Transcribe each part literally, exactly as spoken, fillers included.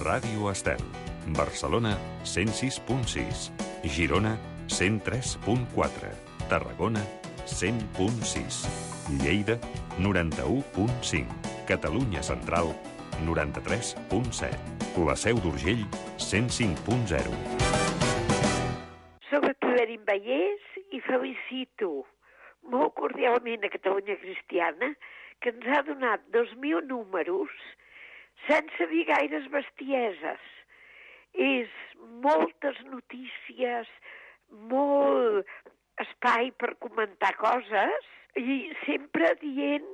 Ràdio Estel. Barcelona, cent sis punt sis. Girona, cent tres punt quatre. Tarragona, cent punt sis. Lleida, noranta-u punt cinc. Catalunya Central, noranta-tres punt set. La Seu d'Urgell, cent cinc punt zero. Soc Clarín Vallès i felicito molt cordialment a Catalunya Cristiana, que ens ha donat dos mil números sense dir gaires bestieses. És moltes notícies, molt espai per comentar coses i sempre dient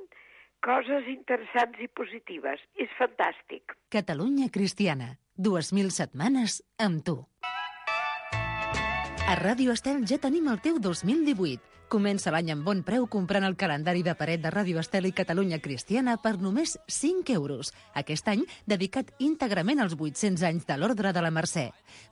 coses interessants i positives. És fantàstic. Catalunya Cristiana, dues mil setmanes amb tu. A Ràdio Estel ja tenim el teu dos mil divuit. Comença l'any amb bon preu comprant el calendari de paret de Ràdio Estel i Catalunya Cristiana per només cinc euros. Aquest any dedicat íntegrament als vuit-cents anys de l'Ordre de la Mercè.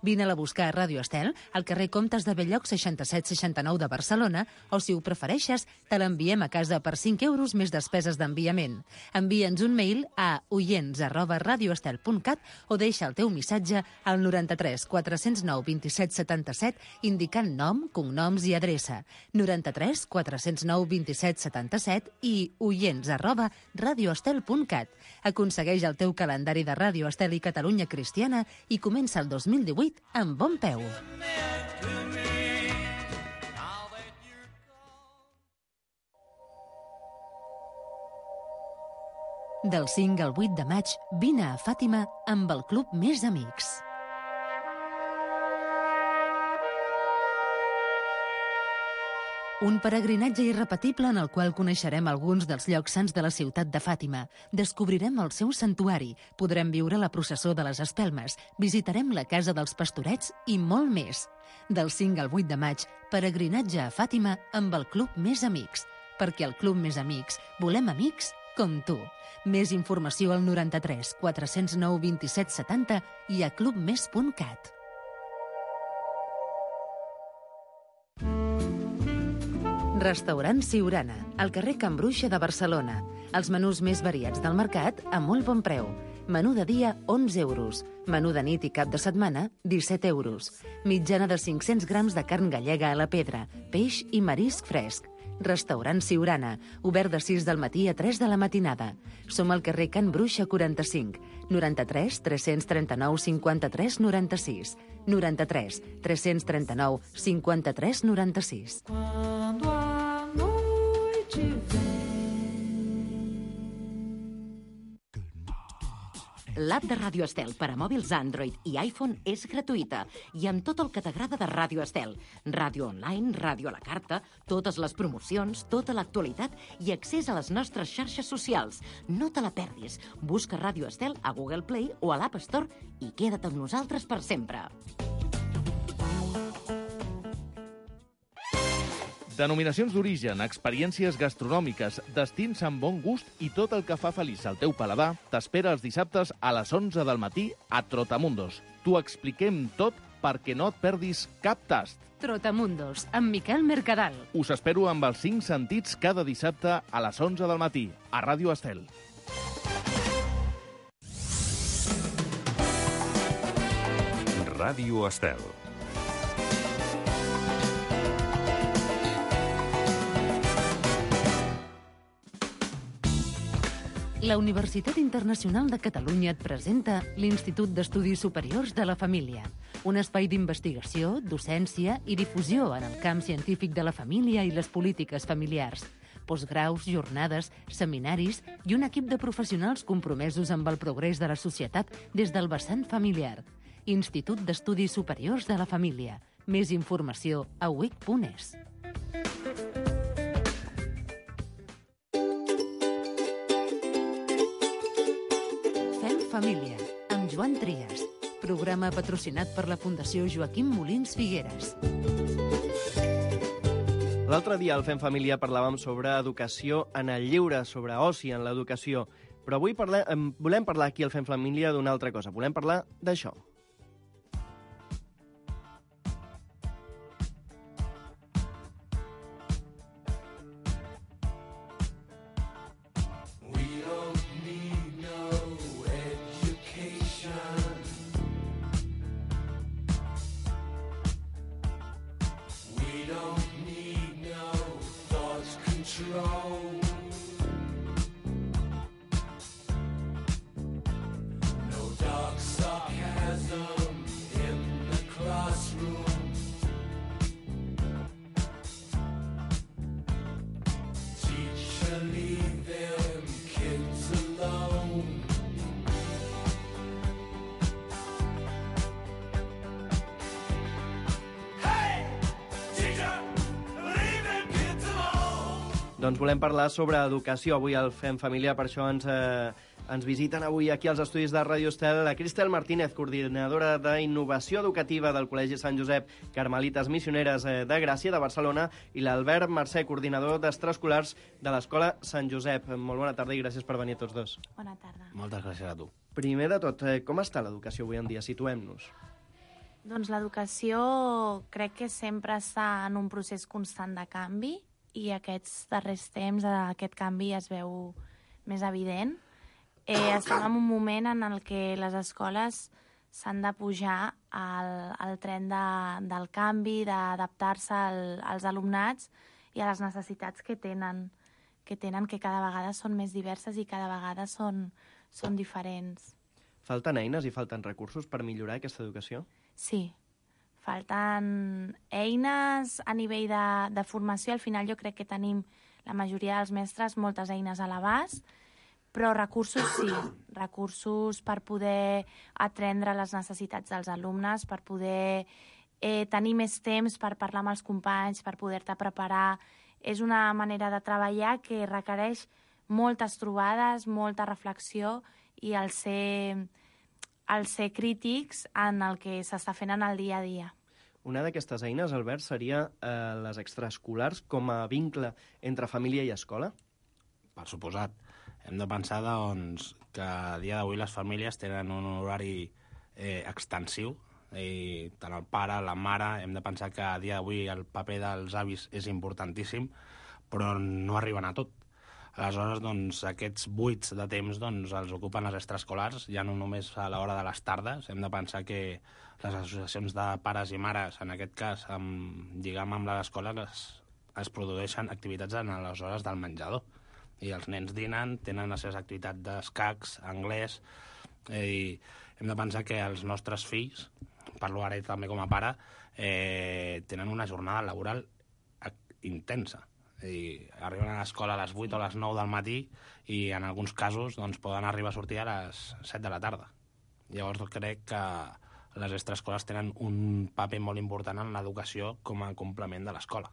Vine-la a buscar a Ràdio Estel, al carrer Comtes de Belllloc seixanta-set seixanta-nou de Barcelona, o si ho prefereixes, te l'enviem a casa per cinc euros més despeses d'enviament. Envia'ns un mail a oients arroba radioestel punt cat o deixa el teu missatge al noranta-tres quatre-cents nou vint-i-set setanta-set indicant nom, cognoms i adreça. noranta-tres quatre-cents nou vint-i-set setanta-set i oients arroba radioestel punt cat. Aconsegueix el teu calendari de Ràdio Estel i Catalunya Cristiana i comença el dos mil divuit amb bon peu. Del cinc al vuit de maig, vine a Fàtima amb el Club Més Amics. Un peregrinatge irrepetible en el qual coneixerem alguns dels llocs sants de la ciutat de Fàtima. Descobrirem el seu santuari, podrem viure la processó de les espelmes, visitarem la casa dels pastorets i molt més. Del cinc al vuit de maig, peregrinatge a Fàtima amb el Club Més Amics. Perquè al Club Més Amics volem amics com tu. Més informació al noranta-tres quatre-cents nou vint-i-set setanta i a clubmes punt cat. Restaurant Siurana, al carrer Can Bruixa de Barcelona. Els menús més variats del mercat a molt bon preu. Menú de dia, onze euros. Menú de nit i cap de setmana, disset euros. Mitjana de cinc-cents grams de carn gallega a la pedra, peix i marisc fresc. Restaurant Siurana, obert de sis del matí a tres de la matinada. Som al carrer Can Bruixa quaranta-cinc, noranta-tres tres-cents trenta-nou cinquanta-tres noranta-sis, noranta-tres tres-cents trenta-nou cinquanta-tres noranta-sis. L'app de Ràdio Estel per a mòbils Android i iPhone és gratuïta i amb tot el que t'agrada de Ràdio Estel. Ràdio online, ràdio a la carta, totes les promocions, tota l'actualitat i accés a les nostres xarxes socials. No te la perdis. Busca Ràdio Estel a Google Play o a l'App Store i queda't amb nosaltres per sempre. Denominacions d'origen, experiències gastronòmiques, destins amb bon gust i tot el que fa feliç al teu paladar t'espera els dissabtes a les onze del matí a Trotamundos. T'ho expliquem tot perquè no et perdis cap tast. Trotamundos, amb Miquel Mercadal. Us espero amb els cinc sentits cada dissabte a les onze del matí a Ràdio Estel. Ràdio Estel. La Universitat Internacional de Catalunya et presenta l'Institut d'Estudis Superiors de la Família, un espai d'investigació, docència i difusió en el camp científic de la família i les polítiques familiars. Postgraus, jornades, seminaris i un equip de professionals compromesos amb el progrés de la societat des del vessant familiar. Institut d'Estudis Superiors de la Família. Més informació a u i c punt es. Família, amb Joan Trias. Programa patrocinat per la Fundació Joaquim Molins Figueres. L'altre dia al Fem Família parlàvem sobre educació en el lliure, sobre oci en l'educació. Però avui parlem, volem parlar aquí al Fem Família d'una altra cosa. Volem parlar d'això. We don't need no education. Doncs volem parlar sobre educació avui al Fem Família, per això ens, eh, ens visiten avui aquí als estudis de Ràdio Estel la Cristel Martínez, coordinadora d'Innovació Educativa del Col·legi Sant Josep Carmelites Missioneres eh, de Gràcia, de Barcelona, i l'Albert Mercè, coordinador d'extraescolars de l'Escola Sant Josep. Molt bona tarda i gràcies per venir a tots dos. Bona tarda. Moltes gràcies a tu. Primer de tot, eh, com està l'educació avui en dia? Situem-nos. Doncs l'educació crec que sempre està en un procés constant de canvi i aquests darrers temps aquest canvi es veu més evident. Eh, estem en un moment en el que les escoles s'han de pujar al, al tren de, del canvi, d'adaptar-se al, als alumnats i a les necessitats que tenen, que tenen, que cada vegada són més diverses i cada vegada són, són diferents. Falten eines i falten recursos per millorar aquesta educació? Sí. Falten eines a nivell de, de formació. Al final jo crec que tenim, la majoria dels mestres, moltes eines a l'abast, però recursos sí. Recursos per poder atendre les necessitats dels alumnes, per poder eh, tenir més temps per parlar amb els companys, per poder-te preparar. És una manera de treballar que requereix moltes trobades, molta reflexió i el ser... el ser crítics en el que s'està fent en el dia a dia. Una d'aquestes eines, Albert, seria eh, les extraescolars com a vincle entre família i escola? Per suposat. Hem de pensar doncs, que a dia d'avui les famílies tenen un horari eh, extensiu, i tant el pare, la mare, hem de pensar que a dia d'avui el paper dels avis és importantíssim, però no arriben a tot. Aleshores, doncs, aquests buits de temps doncs, els ocupen les extraescolars, ja no només a l'hora de les tardes. Hem de pensar que les associacions de pares i mares, en aquest cas, amb, lligam amb l'escola, es, es produeixen activitats en les hores del menjador. I els nens dinen, tenen les seves activitats d'escacs, anglès, eh, i hem de pensar que els nostres fills, parlo ara també com a pare, eh, tenen una jornada laboral intensa. I arriben a l'escola a les vuit o a les nou del matí i en alguns casos doncs, poden arribar a sortir a les set de la tarda. Llavors crec que les extraescoles tenen un paper molt important en l'educació com a complement de l'escola.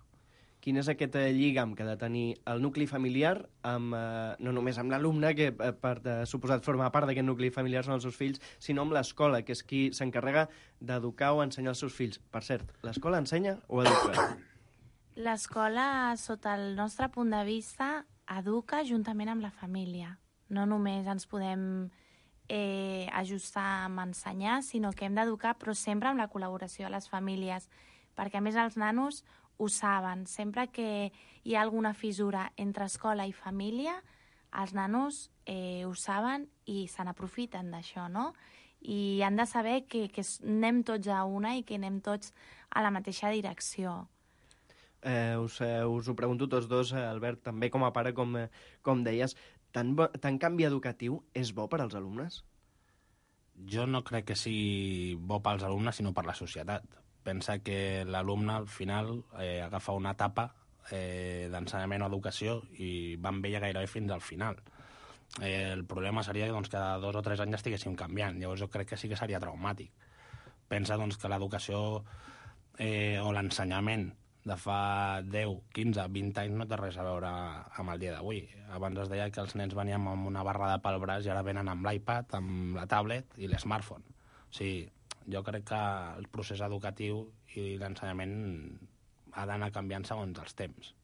Quin és aquest eh, lligam que ha de tenir el nucli familiar, amb, eh, no només amb l'alumne, que eh, per eh, suposat forma part d'aquest nucli familiar són els seus fills, sinó amb l'escola, que és qui s'encarrega d'educar o ensenyar els seus fills. Per cert, l'escola ensenya o educa? L'escola, sota el nostre punt de vista, educa juntament amb la família. No només ens podem eh, ajustar amb ensenyar, sinó que hem d'educar, però sempre amb la col·laboració de les famílies, perquè a més els nanos ho saben. Sempre que hi ha alguna fissura entre escola i família, els nanos eh, ho saben i se n'aprofiten d'això, no? I han de saber que, que anem tots a una i que anem tots a la mateixa direcció. Eh, us, eh, us ho pregunto tots dos, eh, Albert, també com a pare, com, eh, com deies, tant, bo, tant canvi educatiu és bo per als alumnes? Jo no crec que sigui bo pels alumnes, sinó per la societat. Pensa que l'alumne, al final, eh, agafa una etapa eh, d'ensenyament o educació i va amb ella gairebé fins al final. Eh, el problema seria doncs, que cada dos o tres anys estiguéssim canviant. Llavors jo crec que sí que seria traumàtic. Pensa doncs, que l'educació eh, o l'ensenyament de fa deu, quinze, vint anys no té res a veure amb el dia d'avui. Abans es deia que els nens venien amb una barrada pel braç i ara venen amb l'iPad, amb la tablet i l'smartphone. O sigui, jo crec que el procés educatiu i l'ensenyament ha d'anar canviant segons els temps.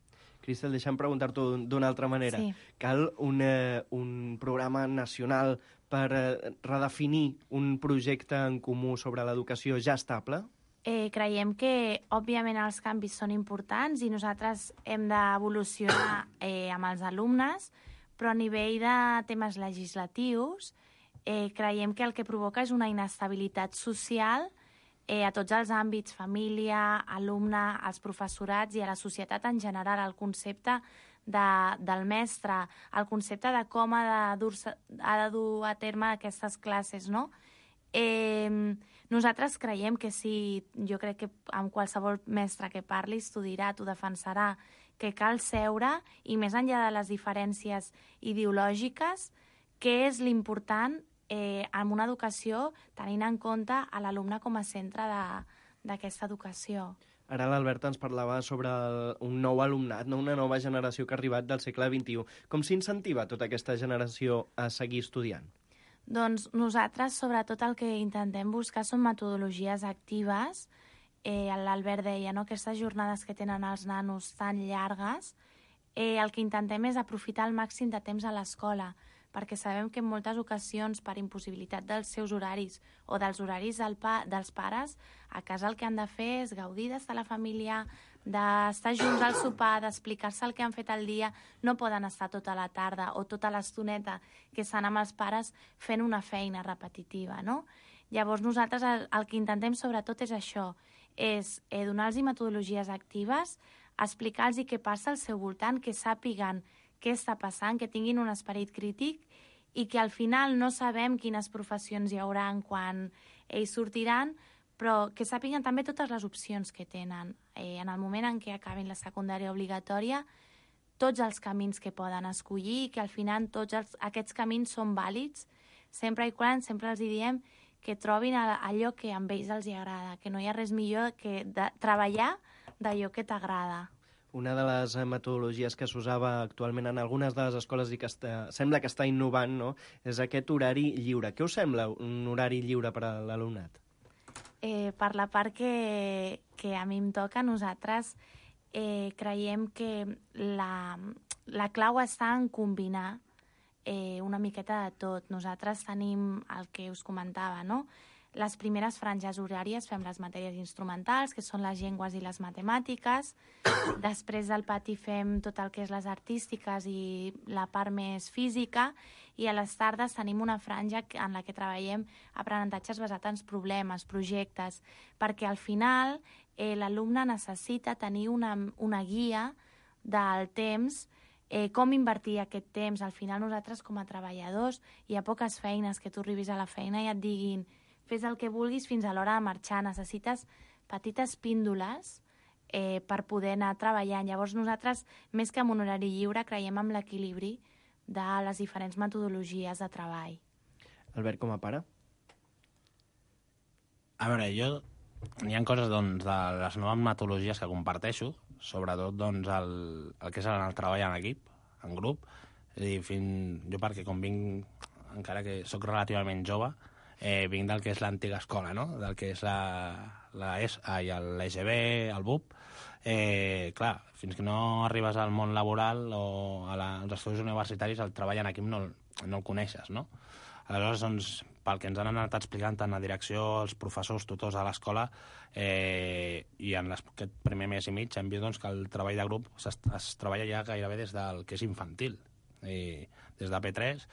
Cristel, deixa'm preguntar-t'ho d'una altra manera. Sí. Cal un, eh, un programa nacional per eh, redefinir un projecte en comú sobre l'educació ja estable? Eh, creiem que, òbviament, els canvis són importants i nosaltres hem d'evolucionar eh, amb els alumnes, però a nivell de temes legislatius eh, creiem que el que provoca és una inestabilitat social eh, a tots els àmbits, família, alumne, als professorats i a la societat en general. El concepte de, del mestre, el concepte de com ha de, dur ha de dur a terme aquestes classes, no? Eh, nosaltres creiem que sí, jo crec que amb qualsevol mestre que parlis t'ho dirà, t'ho defensarà, que cal seure i més enllà de les diferències ideològiques, què és l'important eh, en una educació tenint en compte a l'alumne com a centre d'aquesta educació. Ara l'Albert ens parlava sobre el, un nou alumnat, no? Una nova generació que ha arribat del segle vint-i-u. Com s'incentiva tota aquesta generació a seguir estudiant? Doncs nosaltres, sobretot, el que intentem buscar són metodologies actives. Eh, L'Albert deia, no?, aquestes jornades que tenen els nanos tan llargues, eh, el que intentem és aprofitar al màxim de temps a l'escola, perquè sabem que en moltes ocasions, per impossibilitat dels seus horaris o dels horaris del pa dels pares, a casa el que han de fer és gaudir d'estar a la família, d'estar junts al sopar, d'explicar-se el que han fet el dia. No poden estar tota la tarda o tota l'estoneta que estan amb els pares fent una feina repetitiva, no? Llavors nosaltres el, el que intentem sobretot és això, és eh, donar-los metodologies actives, explicar-los què passa al seu voltant, que sàpiguen què està passant, que tinguin un esperit crític i que al final no sabem quines professions hi haurà quan ells sortiran, però que sàpiguen també totes les opcions que tenen. Eh, en el moment en què acabin la secundària obligatòria, tots els camins que poden escollir i que al final tots els, aquests camins són vàlids, sempre i quan sempre els diem que trobin allò que a ells els agrada, que no hi ha res millor que de treballar d'allò que t'agrada. Una de les metodologies que s'usava actualment en algunes de les escoles i que està, sembla que està innovant, no?, és aquest horari lliure. Què us sembla un horari lliure per a l'alumnat? Eh, per la part que, que a mi em toca, nosaltres eh, creiem que la, la clau està en combinar eh, una miqueta de tot. Nosaltres tenim el que us comentava, no?, les primeres franges horàries fem les matèries instrumentals, que són les llengües i les matemàtiques. Després del pati fem tot el que és les artístiques i la part més física. I a les tardes tenim una franja en la que treballem aprenentatges basats en problemes, projectes, perquè al final eh, l'alumne necessita tenir una, una guia del temps, eh, com invertir aquest temps. Al final nosaltres com a treballadors hi ha poques feines que tu arribis a la feina i et diguin fes el que vulguis fins a l'hora de marxar. Necessites petites píndoles eh, per poder anar treballant. Llavors nosaltres, més que en un horari lliure, creiem en l'equilibri de les diferents metodologies de treball. Albert, com a pare? A veure, jo... Hi ha coses doncs, de les noves metodologies que comparteixo, sobretot doncs, el, el que és el, el treball en equip, en grup. És a dir, fin... jo perquè com vinc, encara que sóc relativament jove, Eh, vinc del que és l'antiga escola, no?, del que és la, la E S A i l'E G B, el B U P. Eh, clar, fins que no arribes al món laboral o a la, als estudis universitaris, el treball en equip no, no el coneixes, no? Aleshores, doncs, pel que ens han anat explicant tant la direcció, els professors, tutors de l'escola, eh, i en les, aquest primer mes i mig hem vist doncs, que el treball de grup es, es treballa ja gairebé des del que és infantil, i des de P tres,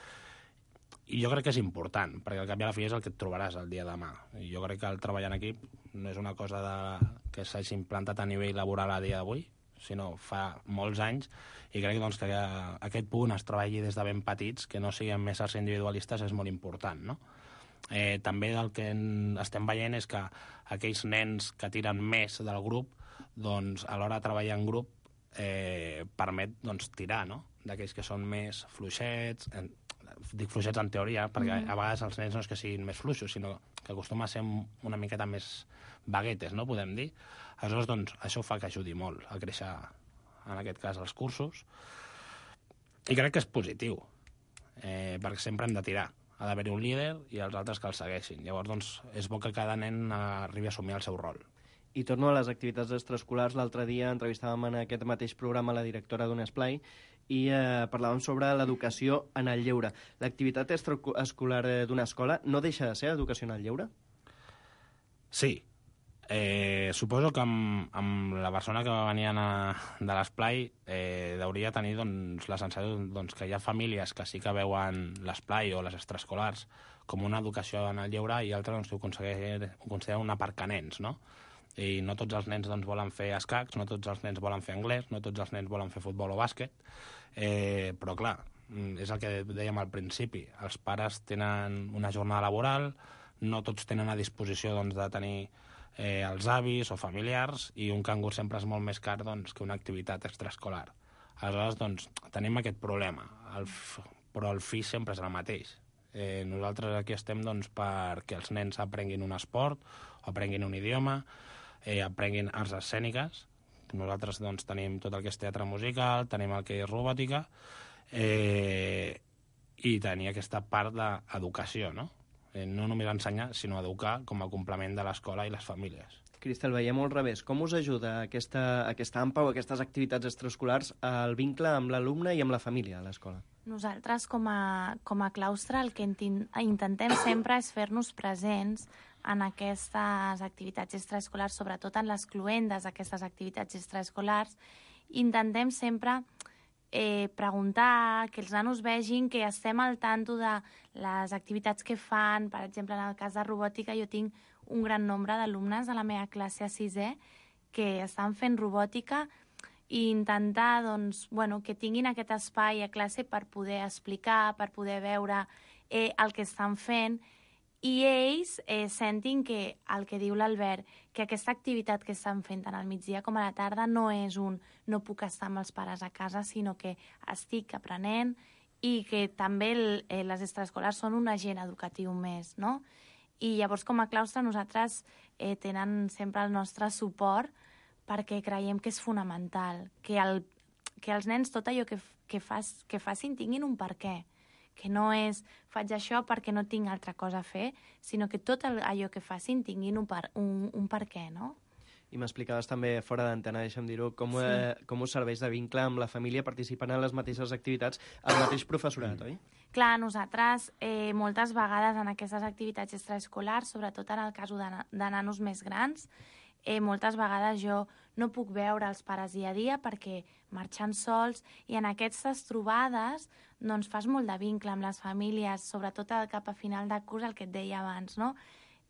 i jo crec que és important, perquè al cap i a la fi és el que et trobaràs el dia de demà. I jo crec que el treball en equip no és una cosa de, que s'hagi implantat a nivell laboral a dia d'avui, sinó fa molts anys, i crec doncs, que aquest punt es treballi des de ben petits, que no siguin més arts individualistes, és molt important, no? Eh, també el que estem veient és que aquells nens que tiren més del grup, doncs, a l'hora de treballar en grup, eh, permet doncs, tirar, no?, d'aquells que són més fluixets, en, dic fluixets en teoria, perquè mm. a vegades els nens no és que siguin més fluixos, sinó que acostuma a ser una miqueta més baguetes, no?, podem dir. Aleshores, doncs, això fa que ajudi molt a créixer, en aquest cas, els cursos. I crec que és positiu, eh, perquè sempre hem de tirar. Ha d'haver-hi un líder i els altres que el segueixin. Llavors, doncs, és bo que cada nen arribi a assumir el seu rol. I torno a les activitats extraescolars. L'altre dia entrevistàvem en aquest mateix programa la directora d'un esplai i eh, parlàvem sobre l'educació en el lleure. L'activitat extraescolar d'una escola no deixa de ser educació en el lleure? Sí. Eh, suposo que amb, amb la persona que va venir a, de l'esplai eh, hauria tenir doncs, la sensació doncs, que hi ha famílies que sí que veuen l'esplai o les extraescolars com una educació en el lleure i altres doncs, ho consideren una part que nens, no? I no tots els nens doncs, volen fer escacs, no tots els nens volen fer anglès, no tots els nens volen fer futbol o bàsquet, eh, però clar, és el que dèiem al principi, els pares tenen una jornada laboral, no tots tenen a disposició doncs, de tenir eh, els avis o familiars, i un cangur sempre és molt més car doncs, que una activitat extraescolar. Aleshores, doncs, tenim aquest problema, el, però el fi sempre és el mateix. Eh, nosaltres aquí estem doncs, perquè els nens aprenguin un esport, o aprenguin un idioma, eh, aprenguin arts escèniques. Nosaltres doncs, tenim tot el que és teatre musical, tenim el que és robòtica, eh, i tenir aquesta part d'educació, no? Eh, no només ensenyar, sinó educar com a complement de l'escola i les famílies. Cristel, veiem al revés. Com us ajuda aquesta, aquesta AMPA o aquestes activitats extraescolars al vincle amb l'alumne i amb la família a l'escola? Nosaltres, com a, com a claustre, el que intentem sempre és fer-nos presents en aquestes activitats extraescolars, sobretot en les cluendes d'aquestes activitats extraescolars. Intentem sempre eh, preguntar, que els nanos vegin que estem al tanto de les activitats que fan. Per exemple, en el cas de robòtica, jo tinc un gran nombre d'alumnes de la meva classe a sisè que estan fent robòtica i intentar doncs, bueno, que tinguin aquest espai a classe per poder explicar, per poder veure eh, el que estan fent, i ells eh, sentin que el que diu l'Albert, que aquesta activitat que estan fent tant al migdia com a la tarda no és un no puc estar amb els pares a casa, sinó que estic aprenent i que també el, eh, les extraescolars són un agent educatiu més, no? I llavors, com a claustre, nosaltres eh, tenen sempre el nostre suport perquè creiem que és fonamental, que, el, que els nens tot allò que, que, fas, que facin tinguin un per què, que no és faig això perquè no tinc altra cosa a fer, sinó que tot el, allò que facin tinguin un per, un, un per què, no? I m'explicaves també fora d'antena, deixa'm dir-ho, com, sí. eh, com us serveix de vincle amb la família participant en les mateixes activitats el mateix professorat, oi? Clar, nosaltres eh, moltes vegades en aquestes activitats extraescolars, sobretot en el cas de, de nanos més grans, eh, moltes vegades jo no puc veure els pares dia a dia perquè marxen sols, i en aquestes trobades doncs, fas molt de vincle amb les famílies, sobretot cap a final de curs, el que et deia abans, no?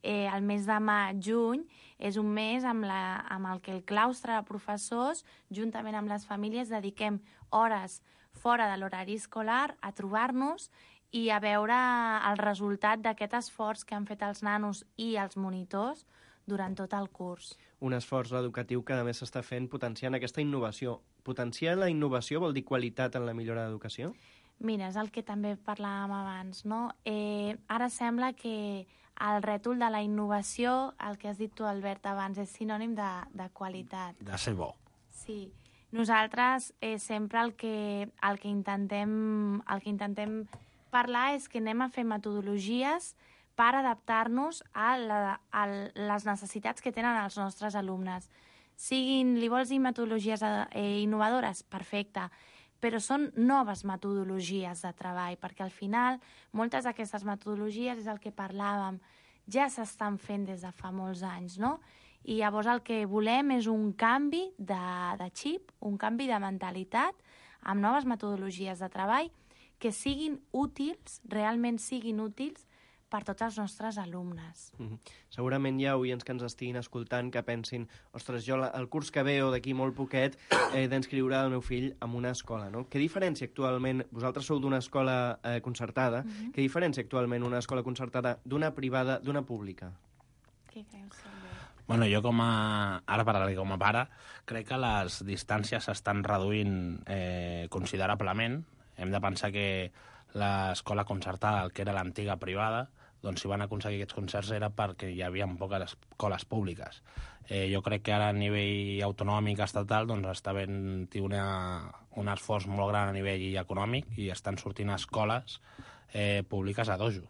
Eh, el mes de maig, juny, és un mes amb, la, amb el que el claustre de professors, juntament amb les famílies, dediquem hores fora de l'horari escolar a trobar-nos i a veure el resultat d'aquest esforç que han fet els nanos i els monitors durant tot el curs. Un esforç educatiu que a més s'està fent potenciant aquesta innovació. Potenciar la innovació vol dir qualitat en la millora d'educació? Mira, és el que també parlàvem abans, no? Eh, ara sembla que el rètol de la innovació, el que has dit tu, Albert, abans, és sinònim de, de qualitat. De ser bo. Sí. Nosaltres eh, sempre el que, el, que intentem, el que intentem parlar és que anem a fer metodologies per adaptar-nos a, la, a les necessitats que tenen els nostres alumnes. Siguin, li vols dir metodologies eh, innovadores? Perfecte. Però són noves metodologies de treball, perquè al final moltes d'aquestes metodologies, és el que parlàvem, ja s'estan fent des de fa molts anys, no? I llavors el que volem és un canvi de, de xip, un canvi de mentalitat, amb noves metodologies de treball que siguin útils, realment siguin útils, per tots els nostres alumnes. Mm-hmm. Segurament hi ha oients que ens estiguin escoltant que pensin, ostres, jo el curs que ve o d'aquí molt poquet he d'inscriure el meu fill en una escola, no? Què diferència actualment, vosaltres sou d'una escola eh, concertada, mm-hmm. què diferència actualment una escola concertada d'una privada, d'una pública? Què creus, Albert? Bueno, jo com a... Ara parlaré com a pare, crec que les distàncies s'estan reduint eh, considerablement. Hem de pensar que l'escola concertada, el que era l'antiga privada, doncs si van aconseguir aquests concerts era perquè hi havia poques escoles públiques. Eh, jo crec que ara a nivell autonòmic estatal doncs està havent una, un esforç molt gran a nivell econòmic i estan sortint escoles eh, públiques a dojo.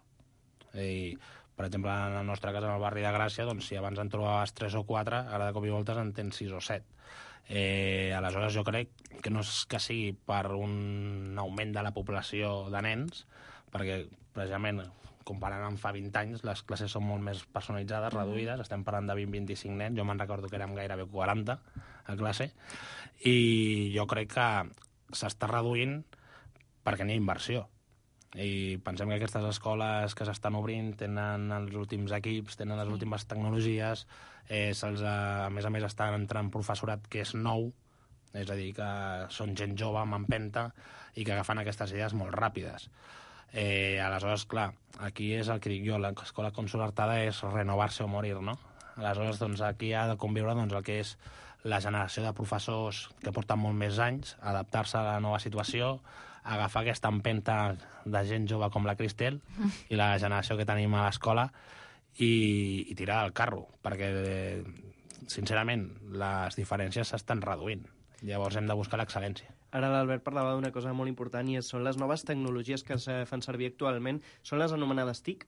Eh, per exemple, en el nostre cas, en el barri de Gràcia, doncs, si abans en trobaves tres o quatre, ara de cop i voltes en tens sis o set. Eh, aleshores jo crec que no és que sigui per un augment de la població de nens, perquè precisament comparant amb fa vint anys, les classes són molt més personalitzades, reduïdes, estem parlant de vint a vint-i-cinc nens, jo me'n recordo que érem gairebé quaranta a classe, i jo crec que s'està reduint perquè n'hi ha inversió. I pensem que aquestes escoles que s'estan obrint tenen els últims equips, tenen les últimes tecnologies, eh, se'ls, a més a més estan entrant professorat que és nou, és a dir, que són gent jove amb empenta i que agafen aquestes idees molt ràpides. Eh, aleshores, clar, aquí és el que dic jo, l'escola concertada és renovar-se o morir, no? Aleshores, doncs, aquí ha de conviure doncs, el que és la generació de professors que porten molt més anys, adaptar-se a la nova situació, agafar aquesta empenta de gent jove com la Cristel i la generació que tenim a l'escola i, i tirar el carro, perquè eh, sincerament, les diferències s'estan reduint. Llavors hem de buscar l'excel·lència. Ara l'Albert parlava d'una cosa molt important i són les noves tecnologies que es fan servir actualment. Són les anomenades T I C?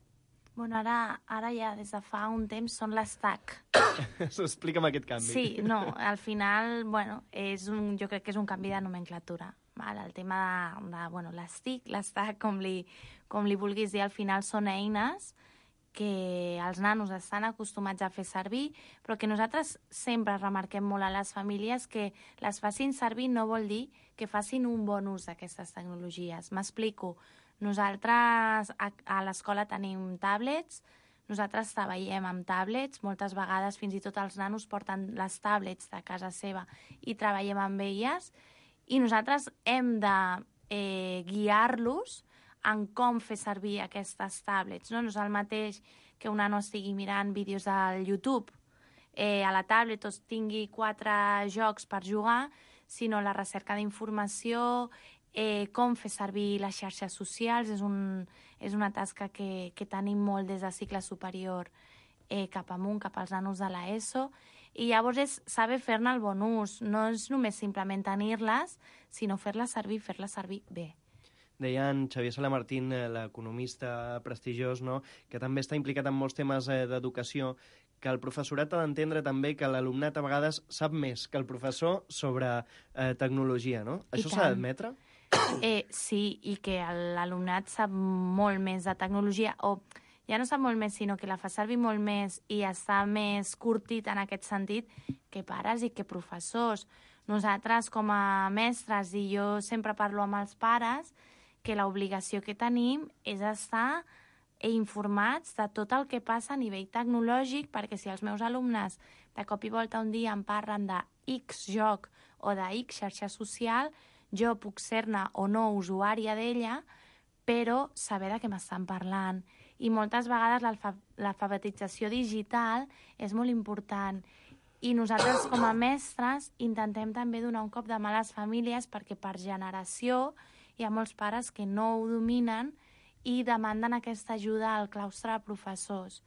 Bueno, ara, ara ja des de fa un temps són les T A C. Explica'm aquest canvi. Sí, no, al final, bueno, és un, jo crec que és un canvi de nomenclatura. Val? El tema de, de bueno, les T I C, les T A C, com li, com li vulguis dir, al final són eines que els nanos estan acostumats a fer servir, però que nosaltres sempre remarquem molt a les famílies que les facin servir no vol dir que facin un bon ús d'aquestes tecnologies. M'explico. Nosaltres a, a l'escola tenim tablets, nosaltres treballem amb tablets, moltes vegades fins i tot els nanos porten les tablets de casa seva i treballem amb elles, i nosaltres hem de eh, guiar-los en com fer servir aquestes tablets. No, no és el mateix que un nano estigui mirant vídeos al YouTube eh, a la tablet o tingui quatre jocs per jugar, sinó la recerca d'informació, eh, com fer servir les xarxes socials. És, un, és una tasca que, que tenim molt des de cicle superior eh, cap amunt, cap als nanos de l'ESO, i llavors és saber fer-ne el bon ús. No és només simplement tenir-les, sinó fer-les servir, fer-les servir bé. Deia en Xavier Salamartín, l'economista prestigiós, no?, que també està implicat en molts temes eh, d'educació, que el professorat ha d'entendre també que l'alumnat a vegades sap més que el professor sobre eh, tecnologia, no? I Això s'ha d'admetre? Eh, sí, i que l'alumnat sap molt més de tecnologia, o ja no sap molt més, sinó que la fa servir molt més i està més curtit en aquest sentit que pares i que professors. Nosaltres, com a mestres, i jo sempre parlo amb els pares, que l'obligació que tenim és estar informats de tot el que passa a nivell tecnològic, perquè si els meus alumnes de cop i volta un dia em parlen de X joc o de X xarxa social, jo puc ser-ne o no usuària d'ella, però saber de què m'estan parlant. I moltes vegades l'alfabetització digital és molt important. I nosaltres, com a mestres, intentem també donar un cop de mà a les famílies, perquè per generació hi ha molts pares que no ho dominen i demanden aquesta ajuda al claustre de professors.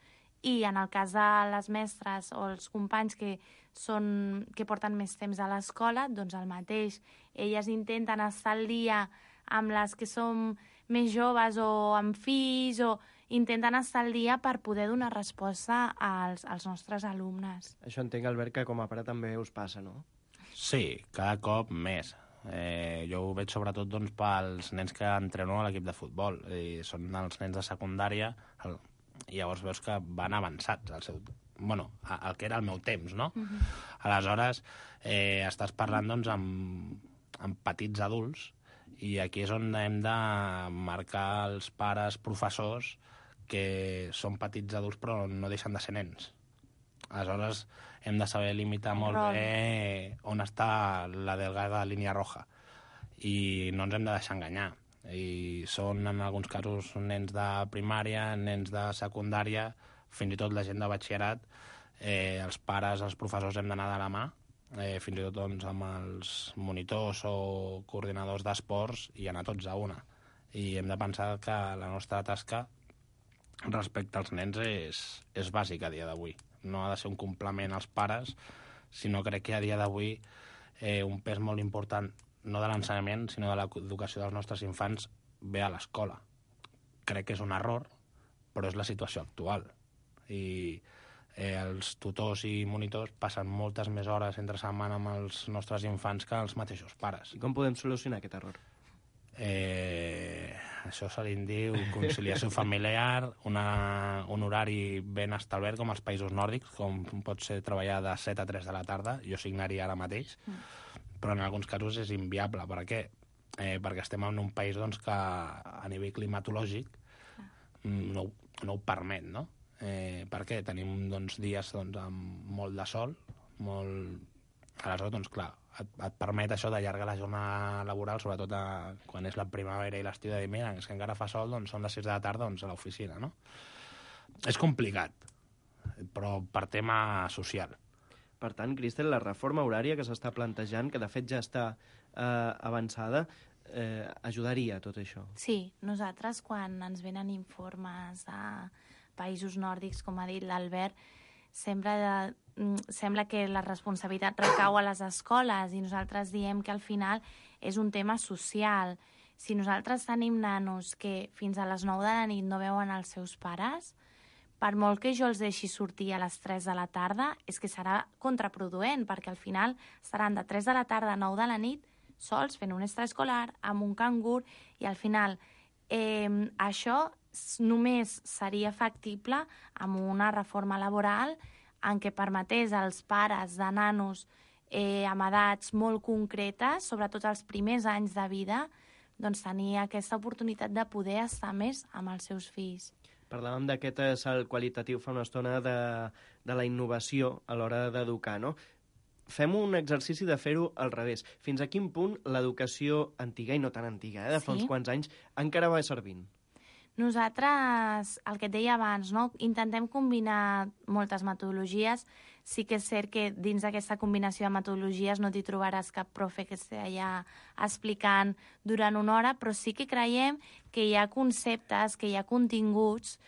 I en el cas de les mestres o els companys que, són, que porten més temps a l'escola, doncs el mateix. Elles intenten estar al dia amb les que som més joves o amb fills, o intenten estar al dia per poder donar resposta als, als nostres alumnes. Això entenc, Albert, que com a pare també us passa, no? Sí, cada cop més. Eh, jo ho veig sobretot doncs, pels nens que entreno a l'equip de futbol. I són els nens de secundària, el, i llavors veus que van avançats al seu... Bueno, el que era el meu temps, no? Uh-huh. Aleshores, eh, estàs parlant doncs, amb, amb petits adults, i aquí és on hem de marcar els pares professors que són petits adults però no deixen de ser nens. Aleshores, hem de saber limitar molt bé on està la delgada línia roja i no ens hem de deixar enganyar. I són, en alguns casos, nens de primària, nens de secundària, fins i tot la gent de batxillerat. Eh, els pares, els professors hem d'anar de la mà, eh, fins i tot doncs, amb els monitors o coordinadors d'esports, i anar tots a una. I hem de pensar que la nostra tasca respecte als nens és, és bàsica a dia d'avui. No ha de ser un complement als pares, sinó crec que a dia d'avui eh, un pes molt important, no de l'ensenyament, sinó de l'educació dels nostres infants, ve a l'escola. Crec que és un error, però és la situació actual. I eh, els tutors i monitors passen moltes més hores entre setmana amb els nostres infants que els mateixos pares. I com podem solucionar aquest error? Eh, això se li diu conciliació familiar, una, un horari ben establert com als països nòrdics, com pot ser treballar de set a tres de la tarda. Jo signaria ara mateix, mm. però en alguns casos és inviable. Per què? Eh, perquè estem en un país doncs, que a nivell climatològic no, no ho permet, no? Eh, per què? Tenim doncs, dies doncs, amb molt de sol, molt... Aleshores, doncs, clar, et, et permet això d'allargar la jornada laboral, sobretot a, quan és la primavera i l'estiu, de dir, mira, és que encara fa sol, doncs són les sis de la tarda, doncs a l'oficina, no? És complicat, però per tema social. Per tant, Cristel, la reforma horària que s'està plantejant, que de fet ja està eh, avançada, eh, ajudaria a tot això. Sí, nosaltres quan ens venen informes de països nòrdics, com ha dit l'Albert, sempre de, sembla que la responsabilitat recau a les escoles i nosaltres diem que al final és un tema social. Si nosaltres tenim nanos que fins a les nou de la nit no veuen els seus pares, per molt que jo els deixi sortir a les tres de la tarda, és que serà contraproduent, perquè al final estaran de tres de la tarda a nou de la nit sols fent un extraescolar, amb un cangur, i al final eh, això només seria factible amb una reforma laboral en què permetés als pares de nanos eh, amb edats molt concretes, sobretot els primers anys de vida, doncs tenir aquesta oportunitat de poder estar més amb els seus fills. Parlàvem d'aquest salt qualitatiu fa una estona de, de la innovació a l'hora d'educar, no? Fem un exercici de fer-ho al revés. Fins a quin punt l'educació antiga, i no tan antiga, eh, de fa Sí. uns quants anys, encara va servint? Nosaltres, el que et deia abans, no? Intentem combinar moltes metodologies. Sí que és cert que dins d'aquesta combinació de metodologies no t'hi trobaràs cap profe que estigui allà explicant durant una hora, però sí que creiem que hi ha conceptes, que hi ha continguts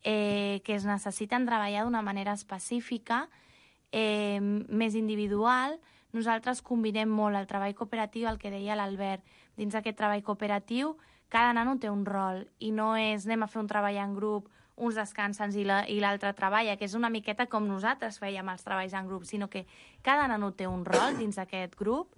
eh, que es necessiten treballar d'una manera específica, eh, més individual. Nosaltres combinem molt el treball cooperatiu, el que deia l'Albert. Dins d'aquest treball cooperatiu, cada nano té un rol i no és anem a fer un treball en grup, uns descansen i l'altre treballa, que és una miqueta com nosaltres fèiem els treballs en grup, sinó que cada nano té un rol dins d'aquest grup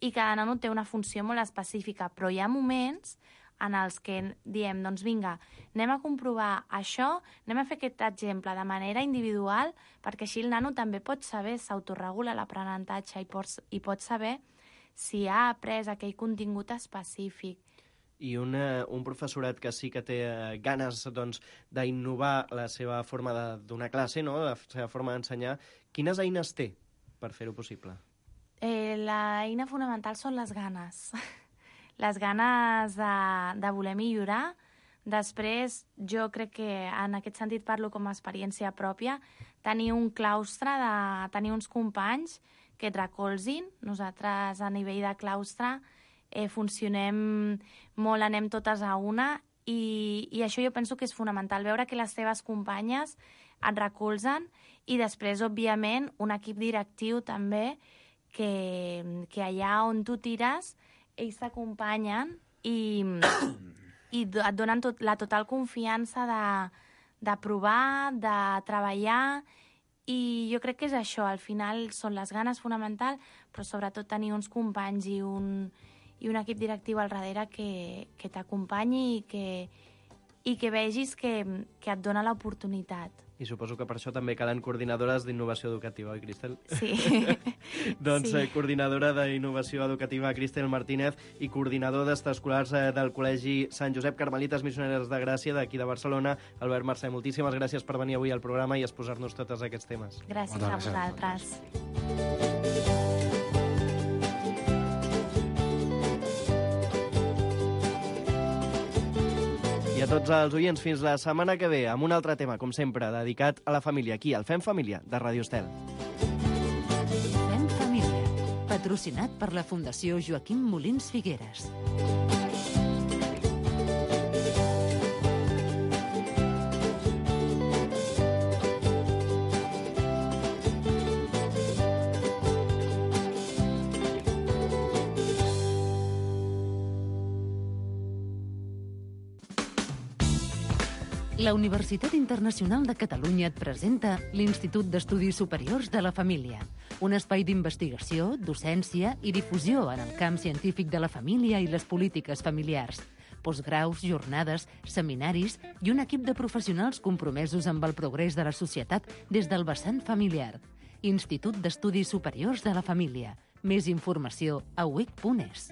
i cada nano té una funció molt específica, però hi ha moments en els que diem, doncs vinga, anem a comprovar això, anem a fer aquest exemple de manera individual, perquè així el nano també pot saber, s'autoregula l'aprenentatge i, pot, i pot saber si ha après aquell contingut específic. I una, un professorat que sí que té eh, ganes doncs, d'innovar la seva forma de donar classe, no? La seva forma d'ensenyar, quines eines té per fer-ho possible? Eh, L'eina fonamental són les ganes. Les ganes de, de voler millorar. Després, jo crec que en aquest sentit parlo com a experiència pròpia, tenir un claustre, de, tenir uns companys que et recolzin. Nosaltres, a nivell de claustre, eh, funcionem molt, anem totes a una, i, i això jo penso que és fonamental, veure que les teves companyes et recolzen, i després, òbviament, un equip directiu també, que, que allà on tu tires, ells t'acompanyen i, i et donen tot, la total confiança de, de provar, de treballar, i jo crec que és això, al final són les ganes fonamental, però sobretot tenir uns companys i un, i un equip directiu al darrere que, que t'acompanyi i que, i que vegis que, que et dona l'oportunitat. I suposo que per això també calen coordinadores d'innovació educativa, oi, Cristel? Sí. Doncs sí. Eh, coordinadora d'innovació educativa, Cristel Martínez, i coordinador d'extraescolars eh, del Col·legi Sant Josep Carmelites Missioneres de Gràcia, d'aquí de Barcelona, Albert Mercè. Moltíssimes gràcies per venir avui al programa i exposar-nos tots aquests temes. Gràcies a vosaltres. I a tots els oients, fins la setmana que ve, amb un altre tema, com sempre, dedicat a la família, aquí, al Fem Família, de Ràdio Estel. Fem Família, patrocinat per la Fundació Joaquim Molins Figueres. La Universitat Internacional de Catalunya et presenta l'Institut d'Estudis Superiors de la Família, un espai d'investigació, docència i difusió en el camp científic de la família i les polítiques familiars, postgraus, jornades, seminaris i un equip de professionals compromesos amb el progrés de la societat des del vessant familiar. Institut d'Estudis Superiors de la Família. Més informació a u i c punt es.